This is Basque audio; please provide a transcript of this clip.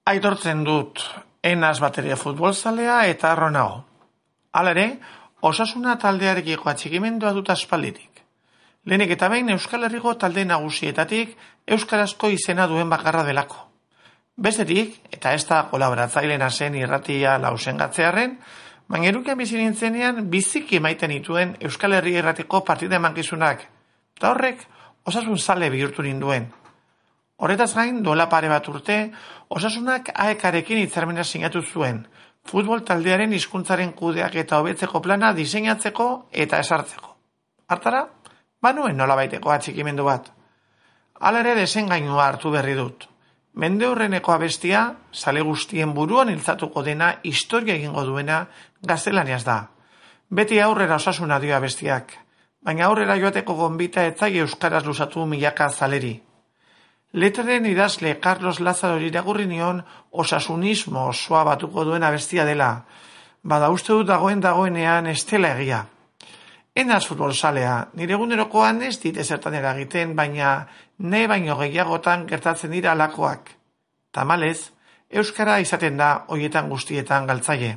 Aitortzen dut, enaz bateria futbolzalea eta harro nago. Hala ere, Osasuna taldearekiko atxikimendua dut aspalditik. Lehenik eta behin Euskal Herriko talde nagusietatik euskarazko izena duen bakarra delako. Bestetik, eta ez da kolaboratzailena zen irratia lausengatzearren, baina erukean bizi nintzenean biziki maiten dituen Euskal Herri irratiko partida emankizunak, eta horrek Osasun zale bihurtu ninduen. Horretaz gain, duela pare bat urte, Osasunak AEK-arekin hitzarmena sinatu zuen, futbol taldearen hizkuntzaren kudeak eta hobetzeko plana diseinatzeko eta esartzeko. Hartara, banuen nolabaiteko atxikimendu bat. Hala ere desengainua hartu berri dut. Mendeurreneko abestia, zale guztien buruan iltzatuko dena historia egingo duena gaztelaniaz da. Beti aurrera Osasuna dio abestiak, baina aurrera joateko gonbita etzai euskaraz luzatu milaka zaleri. Letraren idazle Carlos Lázaro irakurri nion osasunismo osoa batuko duen abestia dela, bada uste dut dagoenean ez dela egia. Enaz futbolzalea, nire egunerokoan ez dit ezertan eragiten, baina ne baino gehiagotan gertatzen dira alakoak. Tamalez, euskara izaten da hoietan guztietan galtzaile.